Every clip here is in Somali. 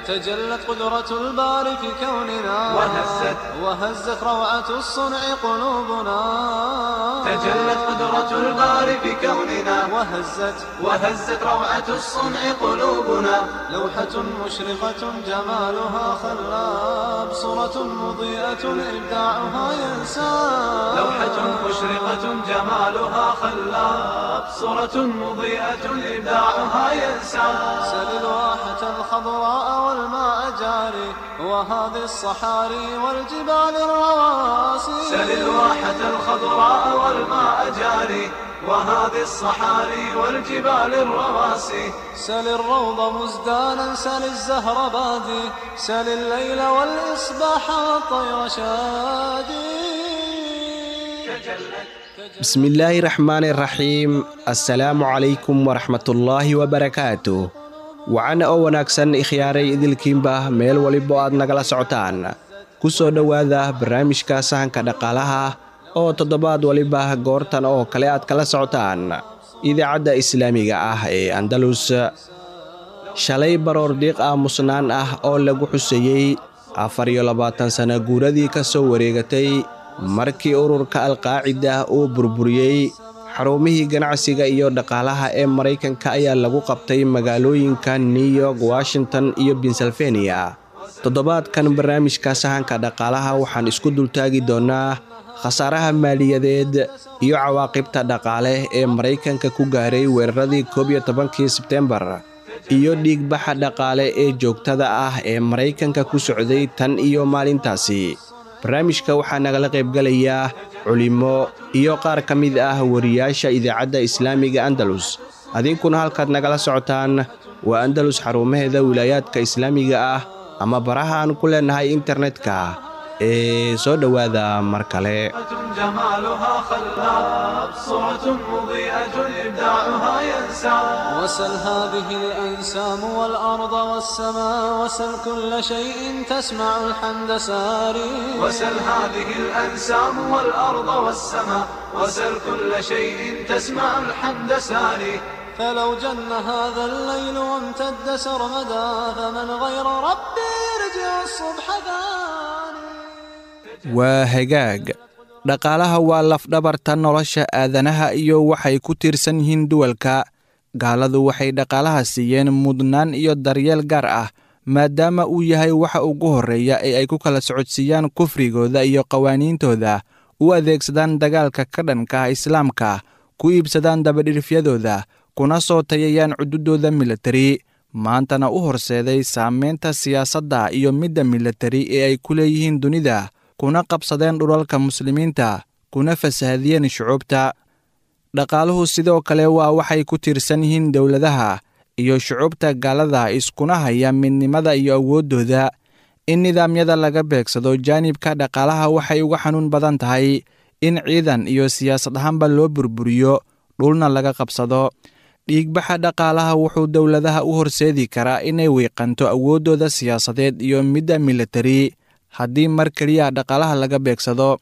تجلت قدرة الباري في كوننا، وهزت روعة الصنع قلوبنا. تجلت قدرة الباري في كوننا، وهزت روعة الصنع قلوبنا. لوحة مشرقة جمالها خلاب، صورة مضيئة إبداعها ينساب. لوحة مشرقة جمالها خلاب، صورة مضيئة إبداعها ينساب. سل الواحة الخضراء والماء جاري، وهذه الصحاري والجبال الرواسي. سل الواحة الخضراء والماء جاري، وهذه الصحاري والجبال الرواسي. سل الروض مزدانا، سل الزهر بادي، سل الليل والإصباح والطير شادي. بسم الله الرحمن الرحيم. Assalaamu calaykum waraxmatullaahi wabarakaatu. Wacan oo wanaagsan, ikhyaaray idilkiinba meel walibo aad nagala socotaan, ku soo dhowaada barnaamijka Sahanka Dhaqaalaha oo toddobaad waliba goortan oo kale aad kala socotaan idaacadda islaamiga ah ee Andalus. Shalay baroor diiq aamusnaan ah oo lagu xuseeyey 24 sano guuradii ka soo wareegatay markii ururka Alqaacida uu burburiyey xarumihii ganacsiga iyo dhaqaalaha ee Maraykanka ayaa lagu qabtay magaalooyinka New York, Washington iyo Pennsylvania. Toddobaadkan barnaamijka Sahanka Dhaqaalaha waxaan isku dultaagi doonaa khasaaraha maaliyadeed iyo cawaaqibta dhaqaale ee Maraykanka ku gaaray weeraradii 11-kii Sebtembar iyo dhiigbaxa dhaqaale ee joogtada ah ee Maraykanka ku socday tan iyo maalintaasi. Barnaamijka waxaa nagala qaybgalayaa culimo iyo qaar ka mid ah wariyaasha idaacadda islaamiga Andalus. Adinkuna halkaad nagala socotaan waa Andalus xarumaheeda wilaayaadka islaamiga ah ama baraha aan ku leenahay internetka ee soo dhowaada mar kale. جمالها خلاب، صورة مضيئة إبداعها ينساب. وسل هذه الأنسام والأرض والسماء، وسل كل شيء تسمع الحمد ساري. وسل هذه الأنسام والأرض والسماء، وسل كل شيء تسمع الحمد ساري. فلو جن هذا الليل وامتد سرمدا، فمن غير ربي يرجع الصبح ثاني. Waa hagaag. Dhaqaalaha waa lafdhabarta nolosha aadanaha iyo waxay ku tiirsan yihiin duwalka. Gaaladu waxay dhaqaalaha siiyeen mudnaan iyo daryeel gaar ah, maadaama uu yahay waxa ugu horreeya ee ay ku kala socodsiiyaan kufrigooda iyo qawaaniintooda, u adeegsadaan dagaalka ka dhanka ah islaamka, ku iibsadaan dabadhirifyadooda, kuna soo tayayaan cududooda militari, maantana u horseeday saameynta siyaasadda iyo midda militari ee ay ku leeyihiin dunida, kuna qabsadeen dhulalka muslimiinta, kuna fasahadiyeen shucuubta. Dhaqaaluhu sidoo kale waa waxay ku tiirsan yihiin dowladaha iyo shucuubta gaalada iskuna haya midnimada iyo awooddooda. In nidaamyada laga beegsado jaanibka dhaqaalaha waxay uga xanuun badan tahay in ciidan iyo siyaasad ahaanba loo burburiyo, dhulna laga qabsado. Dhiigbaxa dhaqaalaha wuxuu dowladaha u horseedi karaa inay wiiqanto awooddooda siyaasadeed iyo midda militari haddii mar keliya dhaqaalaha laga beegsado.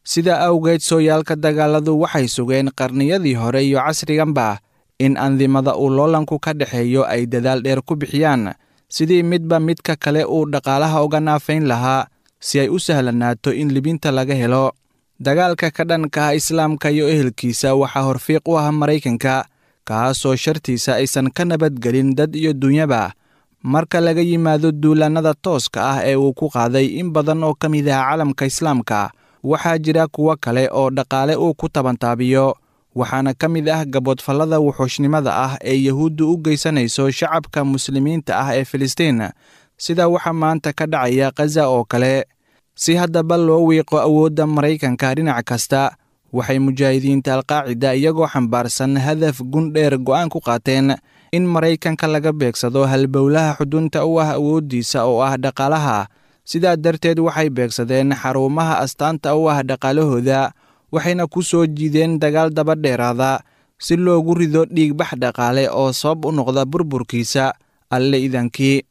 Sida awgeed, sooyaalka dagaaladu waxay sugeen qarniyadii hore iyo casriganba in andimada uu loolanku ka dhexeeyo ay dadaal dheer ku bixiyaan sidii midba midka kale uu dhaqaalaha uga naafayn lahaa, si ay u sahlanaato in libinta laga helo. Dagaalka ka dhanka ah islaamka iyo ehelkiisa waxaa horfiiq u ah Maraykanka, kaasoo shartiisa aysan ka nabadgelin dad iyo dunyaba, marka laga yimaado duulaannada tooska ah ee uu ku qaaday in badan oo ka mid ah caalamka islaamka. Waxaa jira kuwo kale oo dhaqaale uu ku tabantaabiyo, waxaana ka mid ah gaboodfallada wuxuushnimada ah ee Yahuuddu u geysanayso shacabka muslimiinta ah ee Filistiin, sida waxa maanta ka dhacaya Khaza oo kale. Si haddaba loo wiiqo awoodda Maraykanka dhinac kasta, waxay mujaahidiinta Alqaacida iyagoo xambaarsan hadaf gundheer go'aan ku qaateen in Maraykanka laga beegsado halbowlaha xudunta u ah awooddiisa oo ah dhaqaalaha. Sidaa darteed waxay beegsadeen xarumaha astaanta u ah dhaqaalahooda, waxayna ku soo jiideen dagaal daba dheeraada si loogu rido dhiigbax dhaqaale oo sabab u noqda burburkiisa, Alle idankii.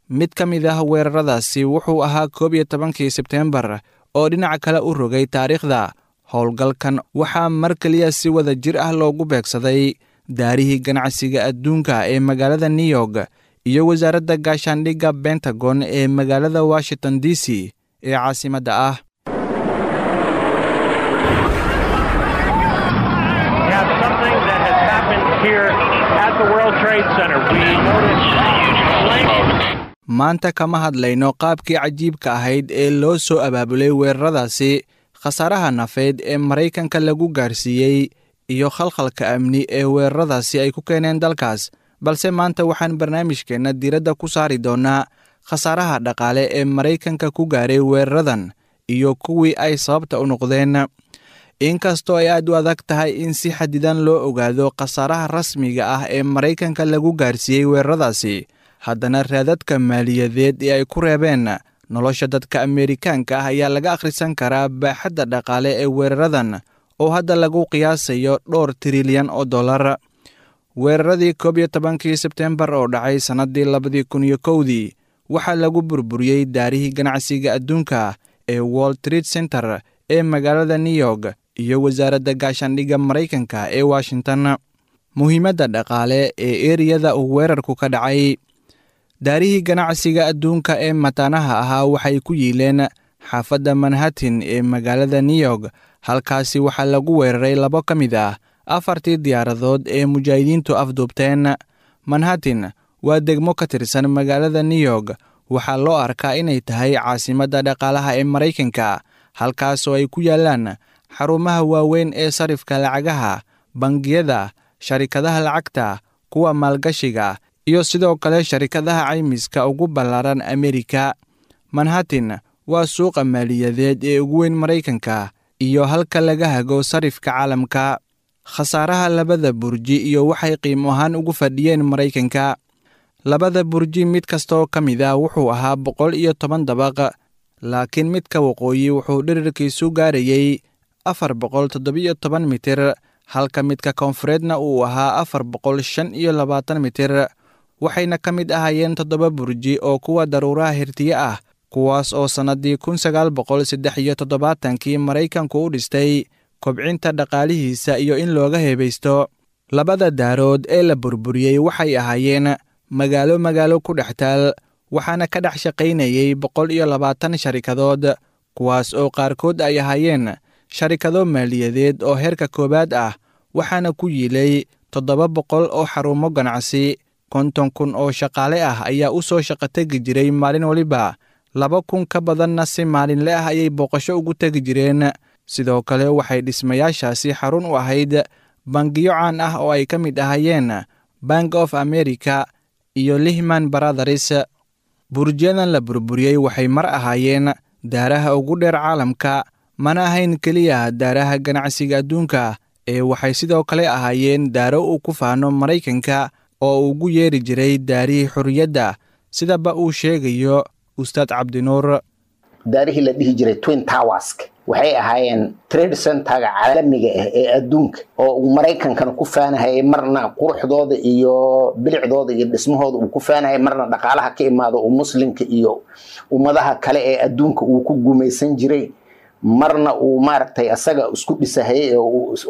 Mid ka mid ah weeraradaasi wuxuu ahaa 11-kii Sebteembar oo dhinac kale u rogay taariikhda. Howlgalkan waxaa mar keliya si wada jir ah loogu beegsaday daarihii ganacsiga adduunka ee magaalada New York iyo wasaaradda gaashaandhigga Bentagon ee magaalada Washington D C ee caasimadda ah. Maanta kama hadlayno qaabkii cajiibka ahayd ee loo soo abaabulay weeraradaasi, khasaaraha nafeed ee Maraykanka lagu gaarsiiyey iyo khalkhalka amni ee weeraradaasi ay ku keeneen dalkaas, balse maanta waxaan barnaamijkeenna diiradda ku saari doonnaa khasaaraha dhaqaale ee Maraykanka ku gaaray weeraradan iyo kuwii ay sababta u noqdeen. Inkastoo ay aad u adag tahay in si xadidan loo ogaado khasaaraha rasmiga ah ee Maraykanka lagu gaarsiiyey weeraradaasi, haddana raadadka maaliyadeed ee ay ku reebeen nolosha dadka Ameerikaanka ah ayaa laga akhrisan karaa baaxadda dhaqaale ee weeraradan oo hadda lagu qiyaasayo dhowr trilyan oo dollar. Weeraradii 11-kii Sebtembar oo dhacay sannaddii 2001-dii waxaa lagu burburiyey daarihii ganacsiga adduunka ee World Trade Center ee magaalada New York iyo wasaaradda gaashaandhigga Maraykanka ee Washington. Muhiimadda dhaqaale ee eriyada uu weerarku ka dhacay. Daarihii ganacsiga adduunka ee mataanaha ahaa waxay ku yiileen xaafadda Manhattan ee magaalada New York. Halkaasi waxaa lagu weeraray labo ka mid ah afartii diyaaradood ee mujaahidiintu afduubteen. Manhattan waa degmo ka tirsan magaalada New York. Waxaa loo arkaa inay tahay caasimadda dhaqaalaha ee Maraykanka, halkaasoo ay ku yaalaan xarumaha waaweyn ee sarifka lacagaha, bangiyada, sharikadaha lacagta, kuwa maalgashiga iyo sidoo kale sharikadaha caymiska ugu ballaaran Ameerika. Manhattan waa suuqa maaliyadeed ee ugu weyn Maraykanka iyo halka laga hago sarifka caalamka. Khasaaraha labada burji iyo waxay qiimo ahaan ugu fadhiyeen Maraykanka. Labada burji mid kastoo ka mid ah wuxuu ahaa 110 dabaq, laakiin midka waqooyi wuxuu dhererkiisu gaarayay 417 mitir, halka midka koonfureedna uu ahaa 425 mitir. Waxayna ka mid ahaayeen 7 burji oo kuwa daruuraha hirtiye ah, kuwaas oo sannaddii 1973-kii Maraykanku u dhistay kobcinta dhaqaalihiisa iyo in looga heebaysto. Labada daarood ee la burburiyey waxay ahaayeen magaalo magaalo ku dhex taal, waxaana ka dhex shaqaynayay 120 sharikadood, kuwaas oo qaarkood ay ahaayeen sharikado maaliyadeed oo heerka koowaad ah, waxaana ku yiilay 700 oo xarumo ganacsi. 50,000 oo shaqaale ah ayaa u soo shaqo tegi jiray maalin waliba, 2,000 ka badanna si maalinle ah ayay booqasho ugu tegi jireen. Sidoo kale waxay dhismayaashaasi xarun u ahayd bangiyo caan ah oo ay ka mid ahaayeen Bank of America iyo Lehman Brothers. Burjiyadan la burburiyey waxay mar ahaayeen daaraha ugu dheer caalamka, mana ahayn keliya daaraha ganacsiga adduunka ee waxay sidoo kale ahaayeen daaro uu ku faano Maraykanka oo ugu yeeri jiray daarihii xorriyadda, sidaba uu sheegayo Ustaad Cabdinuur. Daarihii la dhihi jiray Twin Towers waxay ahaayeen trade centerga caalamiga ah ee adduunka oo uu Maraykankana ku faanahayay, marna quruxdooda iyo bilicdooda iyo dhismahooda uu ku faanahayay, marna dhaqaalaha ka imaado uu muslimka iyo ummadaha kale ee adduunka uu ku gumaysan jiray, marna uu maaragtay asaga isku dhisahayay ee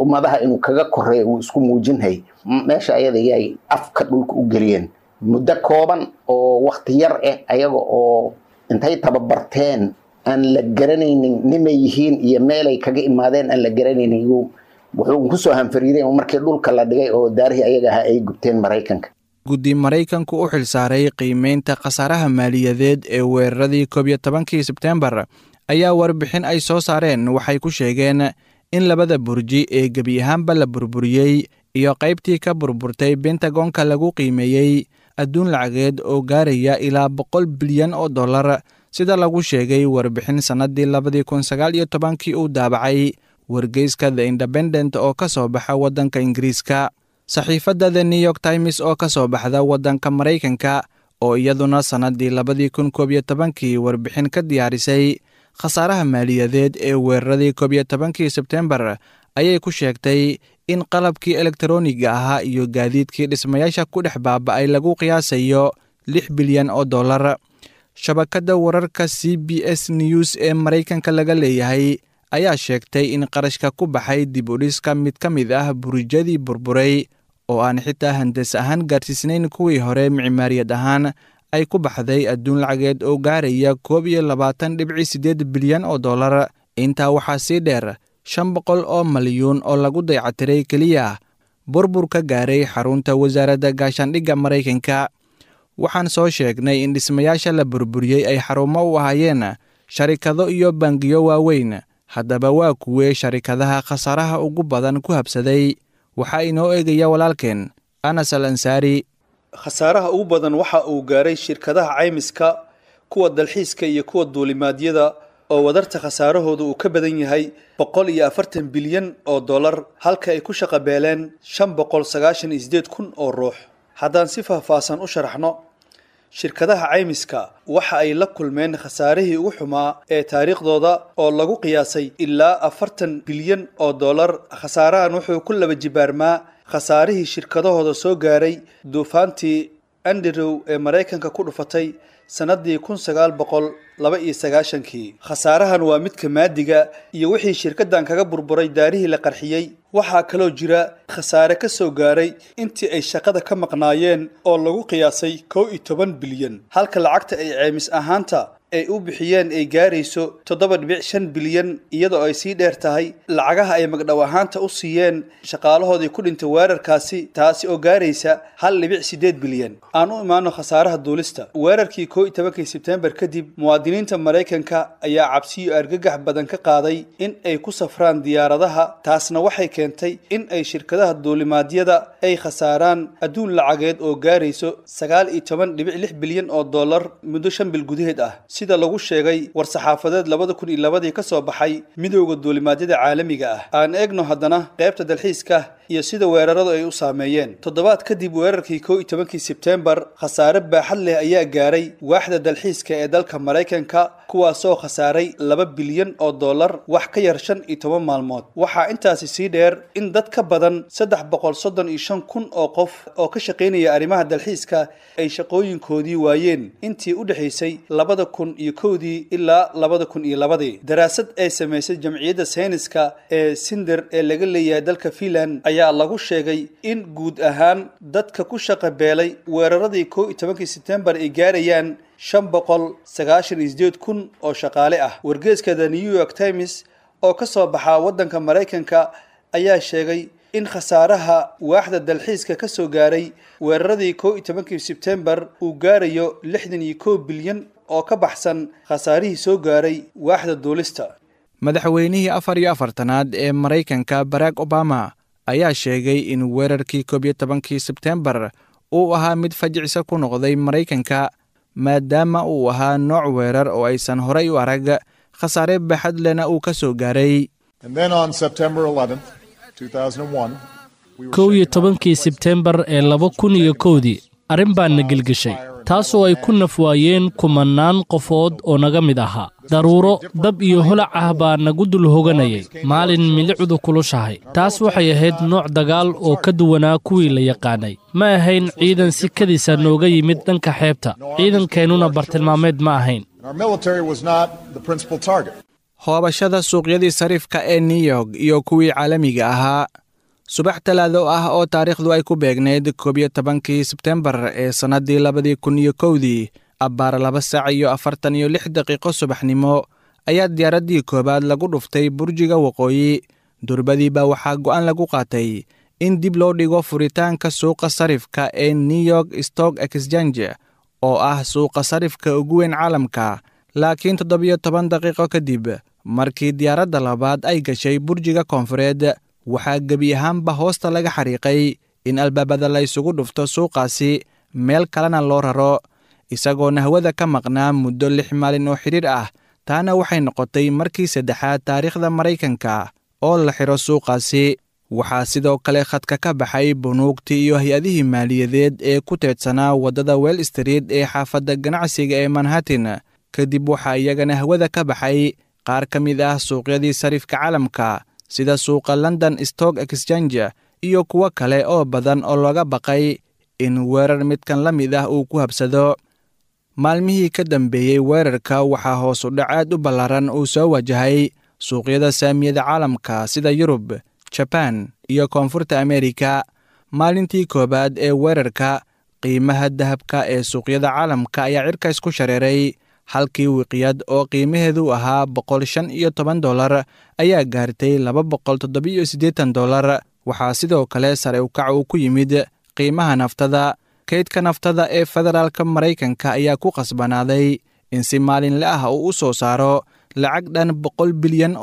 ummadaha inuu kaga koreeyo uu isku muujinhayay. Meesha ayada yay afka dhulka u geliyeen muddo kooban oo waqti yar ah, ayaga oo intay tababarteen aan la garanaynin nimay yihiin iyo meelay kaga imaadeen aan la garanaynin, wuxuu kusoo hanfariiday markii dhulka la dhigay oo daarihii ayaga ahaa ay gubteen Maraykanka. Guddi Maraykanku u xilsaaray qiimeynta khasaaraha maaliyadeed ee weeraradii 11-kii Sebtembar ayaa warbixin ay soo saareen waxay ku sheegeen in labada burji ee gebi ahaanba la burburiyey iyo qaybtii ka burburtay Bentagonka lagu qiimeeyey adduun lacageed oo gaaraya ilaa $100 bilyan oo dollar, sida lagu sheegay warbixin sannaddii 2019-kii uu daabacay wargeyska The Independent oo ka soo baxa waddanka Ingiriiska. Saxiifadda The New York Times oo ka soo baxda waddanka Maraykanka oo iyaduna sannaddii 2011-kii warbixin ka diyaarisay khasaaraha maaliyadeed ee weeraradii 11-kii Sebtembar ayay ku sheegtay in qalabkii elektarooniga ahaa iyo gaadiidkii dhismayaasha ku dhex baaba'ay lagu qiyaasayo $6 bilyan oo dollar. Shabakadda wararka CBS News ee Maraykanka laga leeyahay ayaa sheegtay in qarashka ku baxay dib u dhiska mid ka mid ah burjadii burburay oo aan xitaa handas ahaan gaarsiisnayn kuwii hore micmaariyad ahaan ay ku baxday adduun lacageed oo gaaraya 21.8 bilyan oo dollar. Intaa waxaa sii dheer 500 oo malyuun oo lagu dayactiray keliya burbur ka gaaray xarunta wasaaradda gaashaandhigga Maraykanka. Waxaan soo sheegnay in dhismayaasha la burburiyey ay xarumo u ahaayeen sharikado iyo bangiyo waaweyn. Haddaba waa kuwee sharikadaha khasaaraha ugu badan ku habsaday? Waxaa inoo eegaya walaalkeen Anas Al Ansaari. Khasaaraha ugu badan waxa uu gaaray shirkadaha caymiska, kuwa dalxiiska iyo kuwa duulimaadyada oo wadarta khasaarahooda uu ka badan yahay 140 bilyan oo dollar, halka ay ku shaqabeeleen 598,000 oo ruux. Haddaan si faahfaahsan u sharaxno, shirkadaha caymiska waxa ay la kulmeen khasaarihii ugu xumaa ee taariikhdooda oo lagu qiyaasay ilaa 40 bilyan oo dollar. Khasaarahan wuxuu ku laba jibaarmaa khasaarihii shirkadahooda soo gaaray duufaantii Andrew ee Maraykanka ku dhufatay sanadii 1992. Khasaarahan waa midka maadiga iyo wixii shirkaddan kaga burburay daarihii la qarxiyey. Waxaa kaloo jira khasaare ka soo gaaray intii ay shaqada ka maqnaayeen oo lagu qiyaasay 11 bilyan, halka lacagta ay ceymis ahaanta ay u bixiyeen ay gaarayso 7.5 bilyan, iyadoo ay sii dheer tahay lacagaha ay magdhow ahaanta u siiyeen shaqaalahoodii ku dhintay weerarkaasi, taasi oo gaaraysa 1.8 bilyan. Aan u imaano khasaaraha duulista. Weerarkii 11kii Sebtembar kadib, muwaadiniinta Maraykanka ayaa cabsi iyo argagax badan ka qaaday in ay ku safraan diyaaradaha, taasna waxay keentay in ay shirkadaha duulimaadyada ay khasaaraan adduun lacageed oo gaarayso 19.6 bilyan oo dollar muddo 5 bil gudaheed ah, sida lagu sheegay war-saxaafadeed 2002 ka soo baxay Midowda Duulimaadyada Caalamiga ah. Aan eegno haddana qaybta dalxiiska iyo sida weeraradu ay u saameeyeen. Toddobaad kadib weerarkii 11kii Sebtembar, khasaare baaxad leh ayaa gaaray waaxda dalxiiska ee dalka Maraykanka, kuwaasoo khasaaray 2 bilyan oo dollar wax ka yar 15 maalmood. Waxaa intaasi sii dheer in dad ka badan 335,000 oo qof oo ka shaqaynaya arrimaha dalxiiska ay shaqooyinkoodii waayeen intii u dhexaysay 2001 ilaa 2002. Daraasad ay samaysay jamciyadda sayniska ee Sinder ee laga leeyahay dalka Finland ayaa lagu sheegay in guud ahaan dadka ku shaqa beelay weeraradii 11kii Sebtembar ay gaarayaan 598,000 oo shaqaale ah. Wargeyska The New York Times oo ka soo baxa waddanka Maraykanka ayaa sheegay in khasaaraha waaxda dalxiiska ka soo gaaray weeraradii 11kii Sebtembar uu gaarayo 61 bilyan oo ka baxsan khasaarihii soo gaaray waaxda duulista. Madaxweynihii 44aad ee Maraykanka Barack Obama ayaa sheegay in weerarkii 11kii Sebtembar uu ahaa mid fajicisa ku noqday Maraykanka, maadaama uu ahaa nooc weerar oo aysan horay u arag, khasaare baaxad lehna uu ka soo gaaray. 11kii Sebtembar ee 2001dii arrin baa na gelgeshay, taasoo ay ku nafwaayeen kumannaan qofood oo naga mid ahaa. Daruuro dab iyo holac ah baa nagu dul hoganayay maalin milicdu kulushahay. Taas waxay ahayd nooc dagaal oo ka duwanaa kuwii la yaqaanay. Ma ahayn ciidan si kadisa nooga yimid dhanka xeebta, ciidankeennuna bartilmaameed ma ahayn. Hoobashada suuqyadii sarifka ee New York iyo kuwii caalamiga ahaa. Subax Talaado ah oo taariikhdu ay ku beegnayd 11kii Sebtembar ee sannaddii 2001dii, abbaar 2 saac iyo 46 subaxnimo ayaa diyaaraddii koowaad lagu dhuftay burjiga waqooyi. Durbadiiba waxaa go'aan lagu qaatay in dib loo dhigo furitaanka suuqa sarifka ee New York Stock Exchange oo ah suuqa sarifka ugu weyn caalamka. Laakiin 17 daqiiqo kadib markii diyaaradda labaad ay gashay burjiga koonfureed, waxaa gebi ahaanba hoosta laga xariiqay in albaabada la isugu dhufto suuqaasi, meel kalena loo raro, isagoona hawada ka maqnaa muddo 6 maalin oo xidhiir ah. Taana waxay noqotay markii saddexaad taariikhda Maraykanka oo la xiro suuqaasi. Waxaa sidoo kale khadka ka baxay bunuugtii iyo hay-adihii maaliyadeed ee ku teedsanaa waddada Wall Street ee xaafadda ganacsiga ee Manhattan. Kadib waxaa iyagana hawada ka baxay qaar ka mid ah suuqyadii sarifka caalamka, sida suuqa London Stock Exchange iyo kuwo kale oo badan oo looga baqay in weerar midkan la mid ah uu ku habsado. Maalmihii ka dambeeyey weerarka waxaa hoos u dhac aad u ballaaran uu soo wajahay suuqyada saamiyada caalamka, sida Yurub, Jabaan iyo Koonfurta Ameerika. Maalintii koowaad ee weerarka, qiimaha dahabka ee suuqyada caalamka ayaa cirka isku shareeray. Halkii wiqyad oo qiimaheedu ahaa $115 ayaa gaartay $287. Waxaa sidoo kale sare ukac uu ku yimid qiimaha naftada. Kaydka naftada ee federaalka Maraykanka ayaa ku qasbanaaday in si maalinle ah uu u soo saaro lacag dhan $100 bilyan,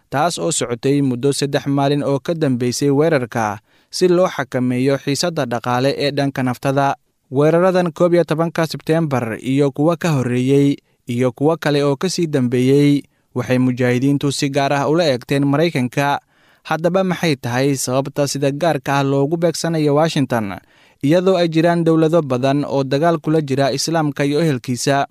taas oo socotay muddo 3 maalin oo ka dambeysay weerarka, si loo xakameeyo xiisadda dhaqaale ee dhanka naftada. Weeraradan 11-ka Sebteembar iyo kuwa ka horreeyey iyo kuwo kale oo ka sii dambeeyey waxay mujaahidiintu si gaar ah ula eegteen Maraykanka. Haddaba maxay tahay sababta sida gaarka ah loogu beegsanayo Washington, iyadoo ay jiraan dowlado badan oo dagaal kula jira islaamka iyo ehelkiisa?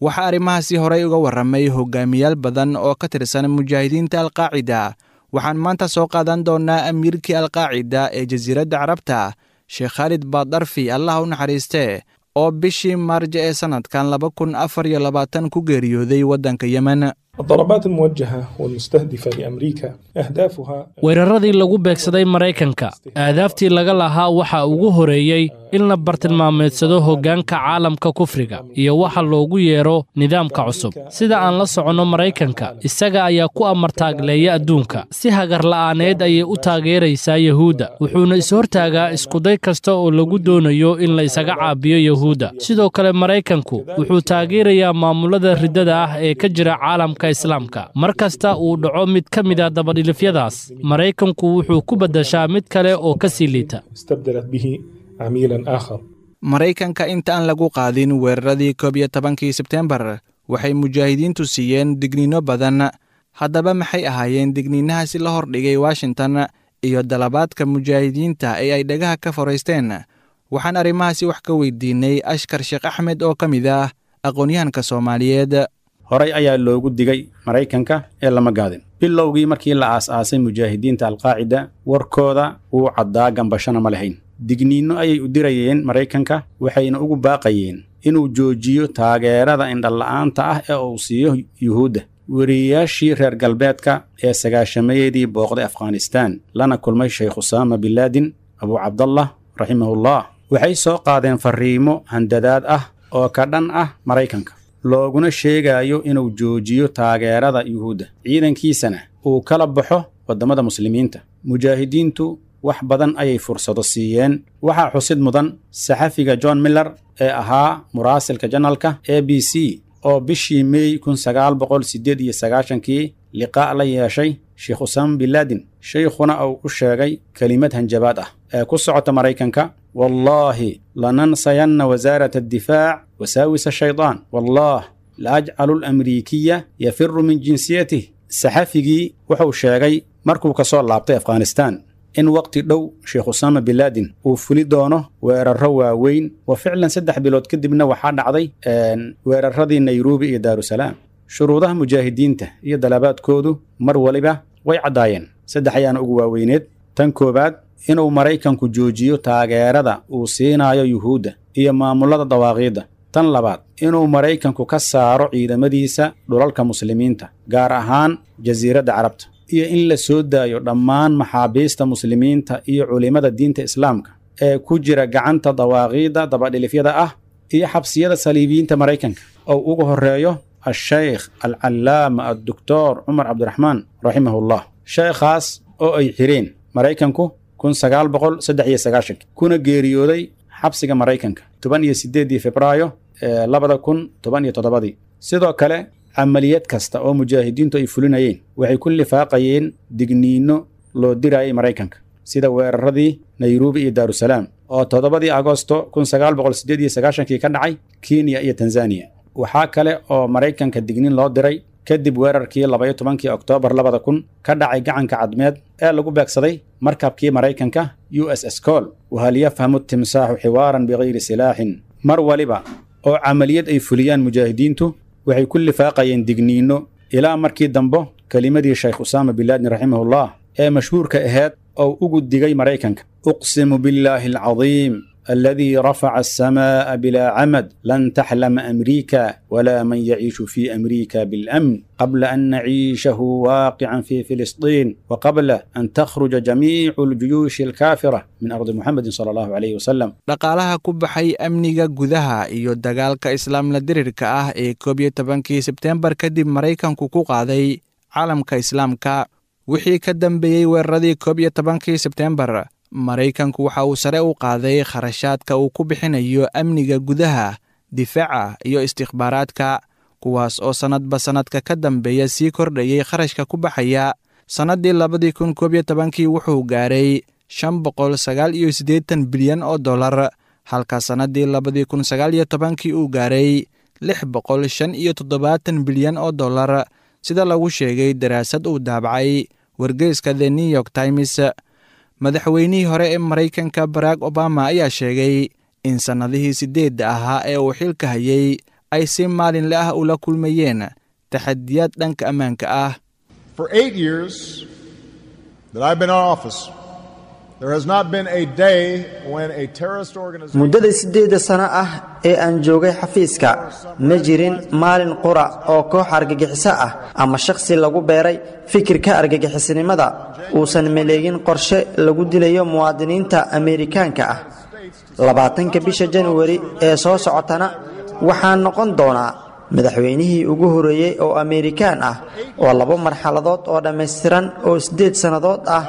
Waxaa arrimahaasi horey uga warramay hogaamiyaal badan oo ka tirsan mujaahidiinta Alqaacida. Waxaan maanta soo qaadan doonaa amiirkii Alqaacida ee Jasiiradda Carabta, Sheekh Khaalid Baadarfi, Allah u naxariistee, oo bishii Maarjo ee sanadkan 2024 ku geeriyooday waddanka Yemen. الضربات الموجهة والمستهدفة لأمريكا أهدافها Weeraradii lagu beegsaday Maraykanka, aadaaftii laga lahaa waxaa ugu horeeyey in la bartilmaameedsado hoggaanka caalamka kufriga iyo waxa loogu yeero nidaamka cusub. Sida aan la soconno, Maraykanka isaga ayaa ku amartaagleeya adduunka. Si hagarla'aaneed ayay u taageeraysaa Yahuudda, wuxuuna is-hortaagaa iskuday kasta oo lagu doonayo in la isaga caabiyo Yahuudda. Sidoo kale Maraykanku wuxuu taageerayaa maamulada riddada ah ee ka jira caalamka islaamka. Mar kasta uu dhaco mid ka mid a dabadhilifyadaas, Maraykanku wuxuu ku beddeshaa mid kale oo ka sii liita. استبدلت به عميلا آخر. Maraykanka inta aan lagu qaadin weeraradii 11-kii Sebteembar, waxay mujaahidiintu siiyeen digniino badan. Haddaba maxay ahaayeen digniinahaasi la hordhigay Washington iyo dalabaadka mujaahidiinta ee ay dhagaha ka foraysteen? Waxaan arrimahaasi wax ka weydiinay Ashkar Sheekh Axmed oo ka mid ah aqoon-yahanka Soomaaliyeed. Horay ayaa loogu digay Maraykanka ee lama gaadin. Bilowgii markii la aas-aasay mujaahidiinta Alqaacida, warkooda wuu caddaa, gambashana ma lahayn. Digniinno ayay u dirayeen Maraykanka, waxayna ugu baaqayeen inuu joojiyo taageerada indhala'aanta ah ee uu siiyo Yuhuudda. Weriyayaashii reer galbeedka ee sagaashameeyadii booqday Afghanistaan lana kulmay Sheekh Usaama Binlaadin Abu Cabdallah raximahullah waxay soo qaadeen farriimo handadaad ah oo ka dhan ah Maraykanka, looguna sheegayo inuu joojiyo taageerada Yuhuudda, ciidankiisana uu kala baxo waddamada muslimiinta. Mujaahidiintu wax badan ayay fursado siiyeen. Waxaa xusid mudan saxafiga John Miller ee ahaa muraasilka janalka ABC oo bishii Mey 1998-kii liqaa' la yeeshay Sheekh Usaama Binlaadin, shaykhuna uu u sheegay kelimad hanjabaad ah ee ku socota Maraykanka: "Wallaahi lanansayanna wasaarata addifaac wasaawisa shaydaan, wallaah la ajcalu alamriikiya yafiru min jinsiyatih." Saxafigii wuxuu sheegay markuu ka soo laabtay Afghanistaan in waqti dhow Sheekh Usaama Binlaadin uu fuli doono weerarro waaweyn, wa ficlan 3 bilood kadibna waxaa dhacday weeraradii Nairobi iyo Daarusalaam. Shuruudaha mujaahidiinta iyo dalabaadkoodu mar waliba way caddaayeen. Saddex ayaana ugu waaweyneed. Tan koowaad, inuu Maraykanku joojiyo taageerada uu siinayo Yuhuudda iyo maamulada dawaaqiidda. Tan labaad, inuu Maraykanku ka saaro ciidamadiisa dhulalka muslimiinta, gaar ahaan Jasiiradda Carabta, iyo in la soo daayo dhammaan maxaabiista muslimiinta iyo culimmada diinta islaamka ee ku jira gacanta dawaaqiidda dabadhilifyada ah iyo xabsiyada saliibiyiinta Maraykanka, oo ugu horreeyo Ashaykh Alcallaama Addoktor Cumar Cabdiraxmaan raximahullah, sheekhaas oo ay xireen Maraykanku 1993, kuna geeriyooday xabsiga Maraykanka 18-dii Febraayo 2017-dii. Sidoo kale camaliyad kasta oo mujaahidiintu ay fulinayeen waxay ku lifaaqayeen digniinno loo dirayay Maraykanka, sida weeraradii Nairobi iyo Daarusalaam oo 7-dii Agosto 1998-kii ka dhacay Kenya iyo Tanzaniya. Waxaa kale oo Maraykanka digniin loo diray kadib weerarkii 12-kii Oktoobar 2000 ka dhacay Gacanka Cadmeed ee lagu beegsaday markabkii Maraykanka USS Cole. Wahal yafhamu timsaaxu xiwaaran bikayri silaaxin? Mar waliba oo camaliyad ay fuliyaan mujaahidiintu waxay ku lifaaqayeen digniinno, ilaa markii dambo kelimadii Sheekh Usaama Binlaadin raximahullah ee mashhuurka ahayd oo ugu digay Maraykanka: "Uqsimu billaahi alcadiim الذي رفع السماء بلا عمد، لن تحلم أمريكا ولا من يعيش في أمريكا بالأمن قبل أن نعيشه واقعا في فلسطين، وقبل أن تخرج جميع الجيوش الكافرة من أرض محمد صلى الله عليه وسلم. Dhaqaalaha ku baxay amniga gudaha iyo dagaalka islaamla dirirka ah ee 11-kii Sebteembar kadib Maraykanku ku qaaday caalamka Islaamka. Wixii ka dambeeyey weeraradii 11-kii Sebteembar, Maraykanku waxa uu sare u qaaday kharashaadka uu ku bixinayo amniga gudaha, difaaca iyo istikhbaaraadka, kuwaas oo sannadba sannadka ka dambeeya sii kordhayay kharashka ku baxaya. Sannaddii 2011-kii wuxuu gaaray 589 bilyan oo dollar, halka sannaddii 2019-kii uu gaaray 675 bilyan oo dollar, sida lagu sheegay daraasad uu daabacay wargeyska The New York Times. Madaxweynihii hore ee Maraykanka Barack Obama ayaa sheegay in sannadihii 8-da ahaa ee uu xilka hayay ay si maalinle ah ula kulmayeen taxadiyaad dhanka ammaanka ah. For 8 years that I've been in office, there has not been a day when a terrorist organization Muddada 8-da sano ah ee aan joogay xafiiska, ma jirin maalin qura oo koox argagixiso ah ama shakhsi lagu beeray fikirka argagixisinimada uusan maleegin qorshe lagu dilayo muwaadiniinta Ameerikaanka ah. 20-ka bisha Januari ee soo socotana waxaan noqon doonaa madaxweynihii ugu horeeyey oo Ameerikaan ah oo labo marxaladood oo dhammaystiran oo 8 sannadood ah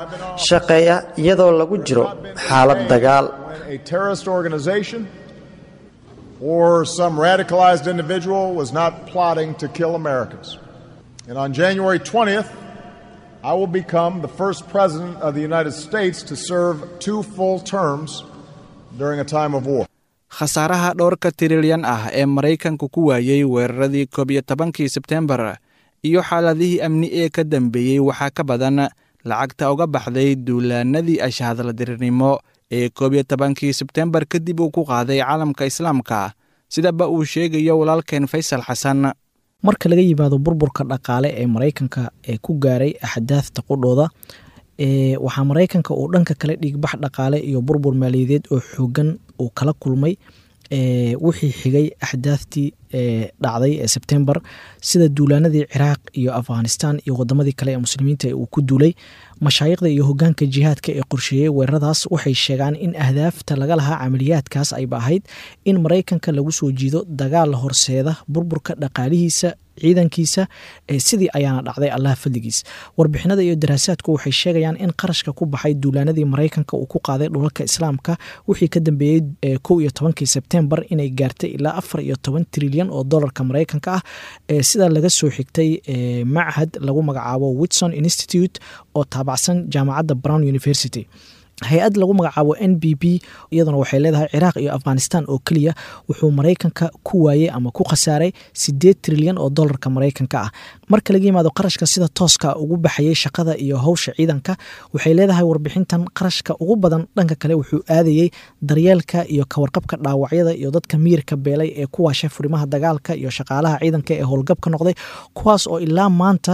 shaqeeya iyadoo lagu jiro xaalad dagaal. a terrorist organization or some radicalized individual was not plotting to kill Americans. And on January 20th, I will become the first president of the United States to serve two full terms during a time of war. Khasaaraha dhowrka tirilyan ah ee Maraykanku ku waayey weeraradii 11-kii Sebteembar iyo xaaladihii amni ee ka dambeeyey waxaa ka badan lacagta uga baxday duulaanadii ashahadladirirnimo ee 11-kii Sebteembar kadib uu ku qaaday caalamka Islaamka, sidaba uu sheegayo walaalkeen Faysal Xasan. Marka laga yimaado burburka dhaqaale ee Maraykanka ee ku gaaray axdaafta qudhooda, waxaa Maraykanka uu dhanka kale dhiigbax dhaqaale iyo burbur maaliyadeed oo xoogan uu kala kulmay wixii xigay axdaaftii dhacday ee Sebtembar, sida duulaanadii Ciraaq iyo Afghanistan iyo wadamadii kale ee muslimiinta ee uu ku duulay. Mashaayikhda iyo hogaanka jihaadka ee qorsheeyey weeraradaas waxay sheegaan in ahdaafta laga lahaa camaliyaadkaas ayba ahayd in Maraykanka lagu soo jiido dagaal horseeda burburka dhaqaalihiisa, ciidankiisa. Sidii ayaana dhacday, Allah fadligiis. Warbixinada iyo daraasaadku waxay sheegayaan in qarashka ku baxay duulaanadii Maraykanka uu ku qaaday dhulalka Islaamka wixii ka dambeeyey 11-kii Sebtembar inay gaartay ilaa 14 trilyan oo dolarka Maraykanka ah, sida laga soo xigtay machad lagu magacaabo Whitson Institute oo taabacsan jaamacadda Brown University. Hay-ad lagu magacaabo NBB iyaduna waxay leedahay Ciraaq iyo Afghanistan oo keliya wuxuu Maraykanka ku waayey ama ku khasaaray 8 trilyan oo dolarka Maraykanka ah. Marka laga yimaado qarashka sida tooska ugu baxayay shaqada iyo howsha ciidanka, waxay leedahay warbixintan qarashka ugu badan dhanka kale wuxuu aadayey daryeelka iyo kawarqabka dhaawacyada iyo dadka miyirka beelay ee ku waashay furimaha dagaalka iyo shaqaalaha ciidanka ee howlgabka noqday, kuwaas oo ilaa maanta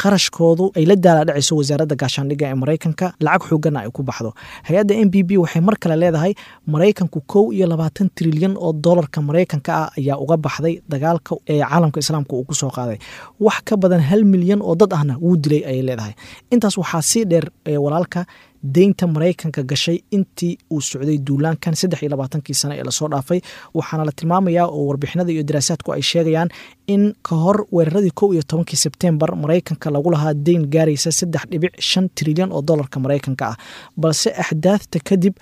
qarashkoodu ay la daala dhacayso wasaaradda gaashaandhigga ee Maraykanka, lacag xooganna ay ku baxdo. Hay-adda NBB waxay mar kale leedahay Maraykanku 21 trilyan oo dolarka Maraykanka ah ayaa uga baxday dagaalka ee caalamka Islaamka uu kusoo qaaday. Wax ka badan 1 milyan oo dad ahna wuu dilay, ayay leedahay. Intaas waxaa sii dheer, walaalka, deynta Maraykanka gashay intii uu socday duulaankan 23-kii sano ee lasoo dhaafay. Waxaana la tilmaamayaa oo warbixinada iyo daraasaadku ay sheegayaan in ka hor weeraradii 11-kii Sebtembar Maraykanka lagu lahaa deyn gaaraysa 3.5 trilyan oo dolarka Maraykanka ah, balse axdaafta kadib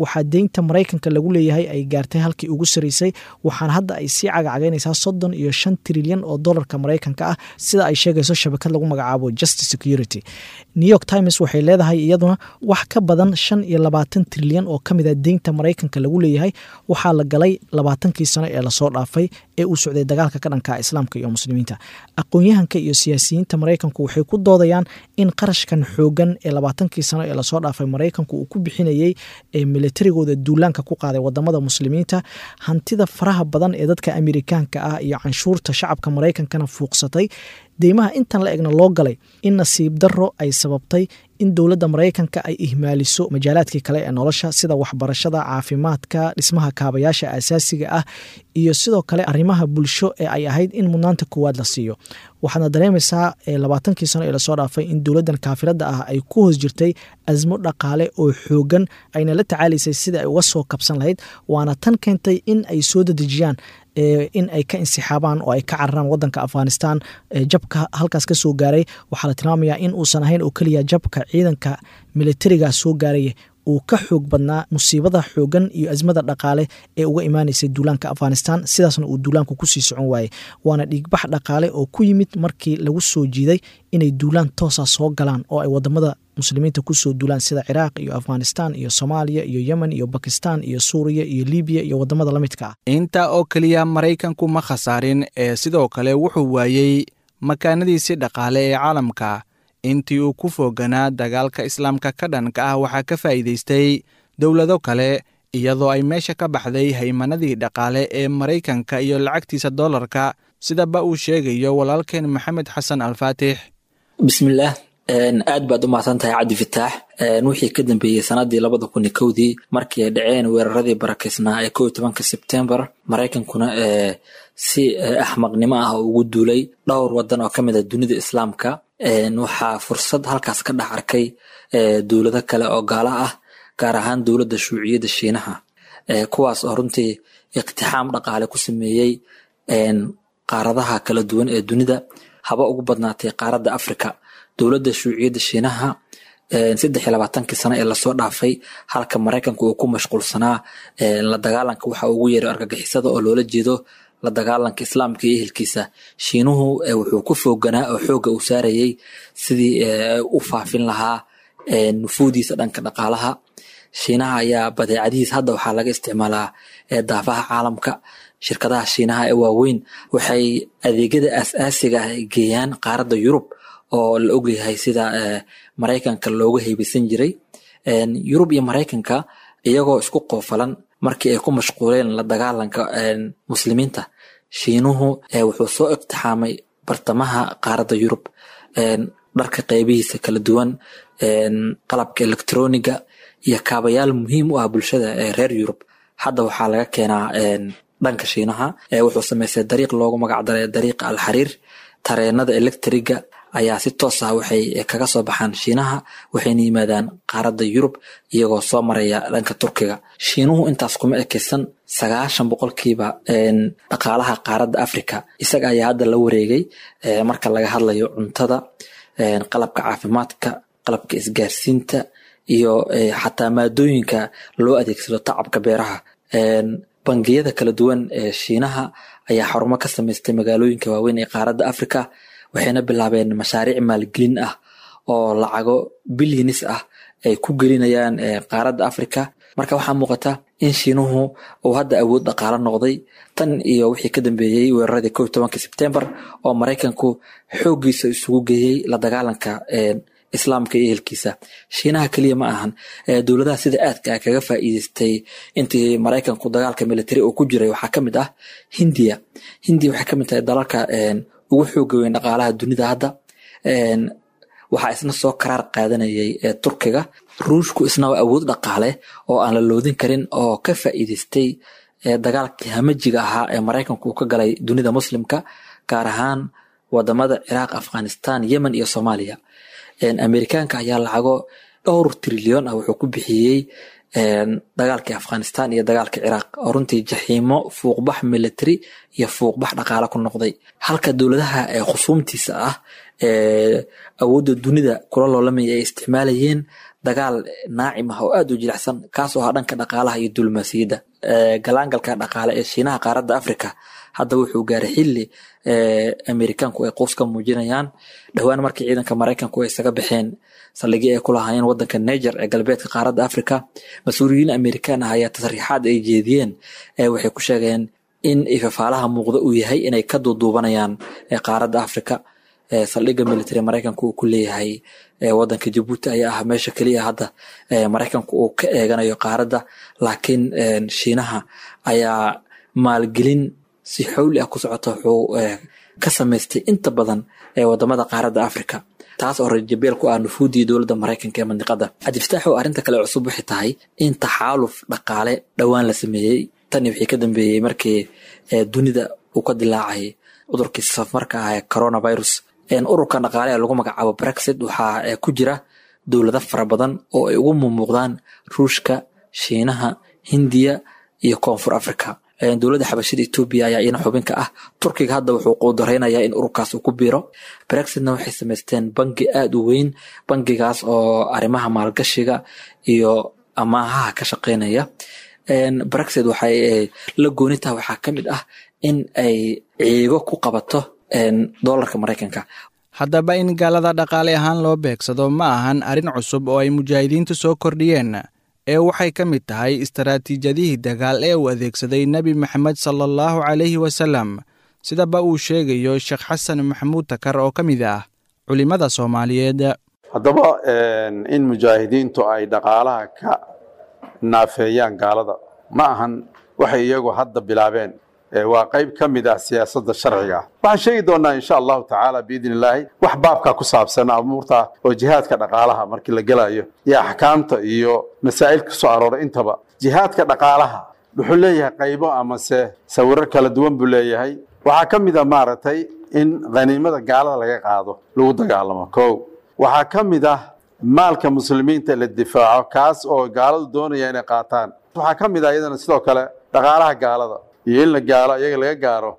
waxaa deynta Maraykanka lagu leeyahay ay gaartay halkii ugu saraysay, waxaana hadda ay sii cagacagaynaysaa 35 trilyan oo dolarka Maraykanka ah, sida ay sheegayso shabakad lagu magacaabo Just Security. New York Times waxay leedahay iyaduna wax ka badan 25 trilyan oo ka mid a deynta Maraykanka lagu leeyahay waxaa la galay 20-kii sano ee lasoo dhaafay ee uu socday dagaalka ka dhanka Islaamka iyo muslimiinta. Aqoon-yahanka iyo siyaasiyiinta Maraykanku waxay ku doodayaan in qarashkan xoogan ee 20-kii sano ee lasoo dhaafay Maraykanku uu ku bixinayey ee militarigooda duulaanka ku qaaday wadamada muslimiinta, hantida faraha badan ee dadka Amerikaanka ah iyo canshuurta shacabka Maraykankana fuuqsatay, deymaha intan la egna loo galay, in nasiib darro ay sababtay in dowladda Maraykanka ay ihmaaliso majaalaadkii kale ee nolosha, sida waxbarashada, caafimaadka, dhismaha kaabayaasha asaasiga ah iyo sidoo kale arrimaha bulsho ee ay ahayd in mudnaanta koowaad la siiyo. Waxaadna dareemaysaa 20kii sano ee lasoo dhaafay in dowladdan kaafiradda ah ay ku hoos jirtay asmo dhaqaale oo xoogan, ayna la tacaalaysay sida ay uga soo kabsan lahayd, waana tan keentay in ay soo dedejiyaan in ay ka insixaabaan oo ay ka cararaan wadanka Afghanistan. Jabka halkaas ka soo gaaray waxaa la tilmaamayaa in uusan ahayn oo keliya jabka ciidanka militariga soo gaaraya, uu ka xoog badnaa musiibada xoogan iyo asmada dhaqaale ee uga imaanaysay duulaanka Afghanistan, sidaasna uu duulaanku kusii socon waayey. Waana dhiigbax dhaqaale oo ku yimid markii lagu soo jiiday inay duulaan toosa soo galaan oo ay wadamada muslimiinta kusoo duulaan, sida Ciraaq iyo Afghanistan iyo Soomaaliya iyo Yemen iyo Bakistan iyo Suuriya iyo Libiya iyo wadamada la midka ah. Intaa oo keliya Maraykanku ma khasaarin ee sidoo kale wuxuu waayey makaanadiisii dhaqaale ee caalamka intii uu ku fooganaa dagaalka islaamka ka dhanka ah. Waxaa ka faa'iidaystay dowlado kale, iyadoo ay meesha ka baxday haymanadii dhaqaale ee Maraykanka iyo lacagtiisa dollarka, sidaba uu sheegayo walaalkeen Maxamed Xasan Alfaatix. Bismillaah, aad baad u mahadsan tahay, Cabdi Fitaax. Wixii ka dambeeyey sanadii 2001dii, markii ay dhaceen weeraradii barakeysnaa ee 11-ka Sebtembar, Maraykankuna si axmaqnimo ah ugu duulay dhowr wadan oo kamid a dunida islaamka, waxaa fursad halkaas ka dhex arkay dowlado kale oo gaala ah, gaar ahaan dowladda shuuciyadda Shiinaha, kuwaas oo runtii iqtixaam dhaqaale ku sameeyey qaaradaha kala duwan ee dunida, haba ugu badnaatay qaaradda Afrika. Dowladda shuuciyadda Shiinaha 23-kii sano ee lasoo dhaafay, halka Maraykanku uu ku mashquulsanaa la dagaalanka waxa ugu yeeray argagixisada oo loola jeedo la dagaalanka islaamka iyo ehelkiisa, Shiinuhu wuxuu ku fooganaa oo xoogga uu saarayey sidii u faafin lahaa nufuudiisa dhanka dhaqaalaha. Shiinaha ayaa badeecadihiis hadda waxaa laga isticmaalaa daafaha caalamka. Shirkadaha Shiinaha ee waaweyn waxay adeegyada aas-aasiga ah geeyaan qaaradda Yurub, oo la ogyahay sida Maraykanka looga heybeysan jiray. Yurub iyo Maraykanka iyagoo isku qoofalan, markii ay ku mashquuleen la dagaalanka muslimiinta, Shiinuhu wuxuu soo iqtixaamay bartamaha qaaradda Yurub. Dharka qeybihiisa kala duwan, qalabka elektroniga iyo kaabayaal muhiim u ah bulshada ee reer Yurub hadda waxaa laga keenaa dhanka Shiinaha. Wuxuu sameystay dariiq loogu magacdaray dariiqa Alxariir. Tareenada electriga ayaa si toos ah waxay kaga soo baxaan Shiinaha, waxayna yimaadaan qaaradda Yurub iyagoo soo maraya dhanka Turkiga. Shiinuhu intaas kuma ekeysan. 90% dhaqaalaha qaaradda Africa isaga ayaa hadda la wareegay, marka laga hadlayo cuntada, qalabka caafimaadka, qalabka isgaarsiinta iyo xataa maadooyinka loo adeegsado tacabka beeraha. Bangiyada kala duwan ee Shiinaha ayaa xarumo ka samaystay magaalooyinka waaweyn ee qaaradda Africa, waxayna bilaabeen mashaariic maalgelin ah oo lacago bilyanis ah ay ku gelinayaan qaaradda Africa. Marka waxaa muuqata in Shiinuhu uu hadda awood dhaqaalo noqday tan iyo wixii ka dambeeyey weeraradii 11-ka Sebtembar, oo Maraykanku xooggiisa isugu geeyey la dagaalanka islaamka iyo ehelkiisa. Shiinaha keliya ma ahan dowladaha sida aadka ah kaga faa'iideystay intii Maraykanku dagaalka military uu ku jiray. Waxaa kamid ah Hindiya. Hindiya waxay kamid tahay dalalka ugu xooga weyn dhaqaalaha dunida hadda. Waxaa isna soo karaar qaadanayay Turkiga. Ruushku isna waa awood dhaqaale oo aan la loodin karin oo ka faa'iideystay dagaalkii hamajiga ahaa ee Maraykanku uu ka galay dunida muslimka, gaar ahaan wadamada Ciraaq, Afghanistan, Yemen iyo Soomaaliya. Amerikaanka ayaa lacago dhowr trilyan ah wuxuu ku bixiyey dagaalkii Afghanistan iyo dagaalkii Ciraaq, oo runtii jaxiimo fuuqbax military iyo fuuqbax dhaqaale ku noqday, halka dowladaha khusuumtiisa ah ee awoodda dunida kula loolamaya ay isticmaalayeen dagaal naacim ah oo aad u jilicsan, kaasoo ahaa dhanka dhaqaalaha iyo diblomaasiyadda. Galaangalka dhaqaale ee Shiinaha qaaradda Africa hadda wuxuu gaaray xilli Amerikaanku ay quus ka muujinayaan. Dhowaan markii ciidanka Maraykanku ay isaga baxeen saldhigii ay ku lahaayeen wadanka Niger ee galbeedka qaaradda Africa, mas-uuliyiin Amerikaan ah ayaa tasriixaad ay jeediyeen waxay ku sheegeen in ifafaalaha muuqda uu yahay inay ka duuduubanayaan qaaradda Africa. Saldhigga military Maraykanku uu ku leeyahay wadanka Jabuuti ayaa ah meesha keliya hadda Maraykanku uu ka eeganayo qaaradda, laakiin Shiinaha ayaa maalgelin si xowli ah ku socota wuxuu ka samaystay inta badan ee wadamada qaaradda Afrika, taas oo rajabeel ku ah nufuuddii dowladda Maraykanka ee mandiqada. Cabdifataax, oo arrinta kale cusub waxay tahay in taxaaluf dhaqaale dhowaan la sameeyey tani wixii ka dambeeyey markii dunida uu ka dilaacay cudurkii safmarka ah ee coronavirus. Ururkan dhaqaale ee lagu magacaabo Brexit waxaa ku jira dowlado fara badan oo ay ugu mumuuqdaan Ruushka, Shiinaha, Hindiya iyo Koonfur Africa. Dowladda Xabashida Etoobiya ayaa iyana xubinka ah. Turkiga hadda wuxuu quudareynayaa in ururkaas uu ku biiro. Brexitna waxay samaysteen bangi aada u weyn, bangigaas oo arrimaha maalgashiga iyo amaahaha ka shaqeynaya. Brexit waxay la gooni tahay waxaa ka mid ah in ay ciigo ku qabato doolarka Maraykanka. Haddaba in gaalada dhaqaale ahaan loo beegsado ma ahan arrin cusub oo ay mujaahidiintu soo kordhiyeen, ee waxay ka mid tahay istaraatiijiyadihii dagaal ee uu adeegsaday Nebi Maxamed sala allahu calayhi wasalam, sidaba uu sheegayo Sheekh Xasan Maxamuud Takar oo ka mid ah culimmada Soomaaliyeed. Haddaba in mujaahidiintu ay dhaqaalaha ka naafeeyaan gaalada ma ahan waxay iyagu hadda bilaabeen, waa qayb ka mid ah siyaasadda sharciga ah. Waxaan sheegi doonaa insha allahu tacaala biidni illaahi wax baabka ku saabsan amuurta oo jihaadka dhaqaalaha markii la gelayo iyo axkaamta iyo masaa'il ku soo arooray intaba. Jihaadka dhaqaalaha wuxuu leeyahay qaybo amase sawiro kala duwan buu leeyahay. Waxaa ka mid a maaragtay in khaniimada gaalada laga qaado lagu dagaalamo kow. Waxaa ka mid ah maalka muslimiinta la difaaco, kaas oo gaaladu doonaya inay qaataan. Waxaa ka mid ah iyadana sidoo kale dhaqaalaha gaalada iyo in la gaalo iyaga laga gaaro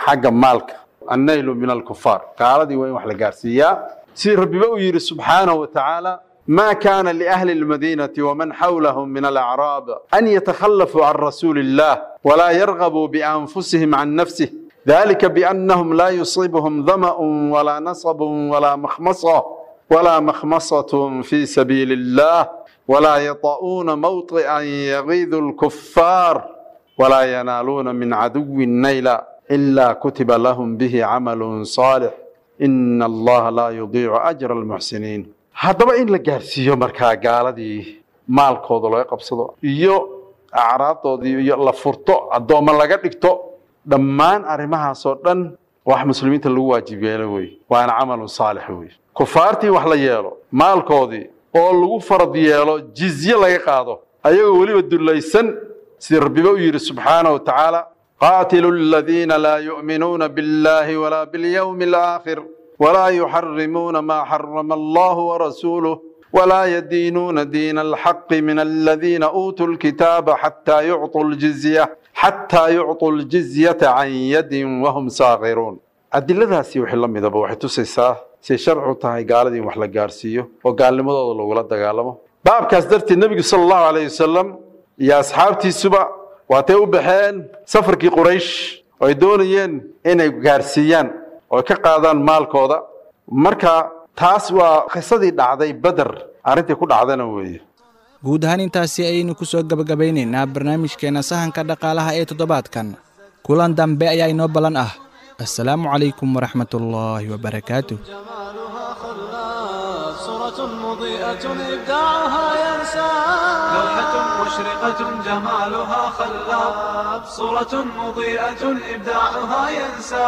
xagga maalka, annaylu min alkufaar, gaaladii waa in wax la gaarsiiyaa, sidii rabbiba uu yidhi subxaanahu wa tacaala: ما كان لأهل المدينة ومن حولهم من الأعراب أن يتخلفوا عن رسول الله ولا يرغبوا بأنفسهم عن نفسه، ذلك بأنهم لا يصيبهم ظمأ ولا نصب ولا مخمصة في سبيل الله ولا يطؤون موطئا يغيظ الكفار ولا ينالون من عدو نيلا إلا كتب لهم به عمل صالح، إن الله لا يضيع أجر المحسنين. Haddaba in la gaarsiiyo markaa gaaladii maalkooda laga qabsado iyo acraabdoodii iyo la furto, addoommo laga dhigto, dhammaan arrimahaasoo dhan wax muslimiinta lagu waajib yeelo wey, waana camalun saalix wey. Kufaartii wax la yeelo maalkoodii oo lagu farad yeelo, jizye laga qaado ayagoo weliba dullaysan, sidii rabbiba u yidhi subxaanahu wa tacaala: qaatilu aladiina laa yu'minuuna biاllahi walaa biاlyawmi alaakhir ولا يحرمون ما حرم الله ورسوله ولا يدينون دين الحق من الذين أوتوا الكتاب حتى يعطوا الجزية عن يد وهم صاغرون. Adiladaasi wixii la midaba waxay tusaysaa say sharcu tahay gaaladii in wax la gaarsiiyo oo gaalnimadooda lagula dagaalamo. Baabkaas darteed nebigu sala allahu calayhi wasalam iyo asxaabtiisuba waatay u baxeen safarkii Quraysh oo ay doonayeen inay gaarsiiyaan oo ka qaadaan maalkooda. Marka taas waa qisadii dhacday Beder, arrintii ku dhacdana weeye. Guud ahaan intaasi ayaynu ku soo gebagabaynaynaa barnaamijkeenna sahanka dhaqaalaha ee toddobaadkan. Kulan dambe ayaa inoo ballan ah. Assalaamu calaykum waraxmatullaahi wabarakaatuh. صورة مضيئة إبداعها ينسى، لوحة مشرقة جمالها خلاب، صورة مضيئة إبداعها ينسى.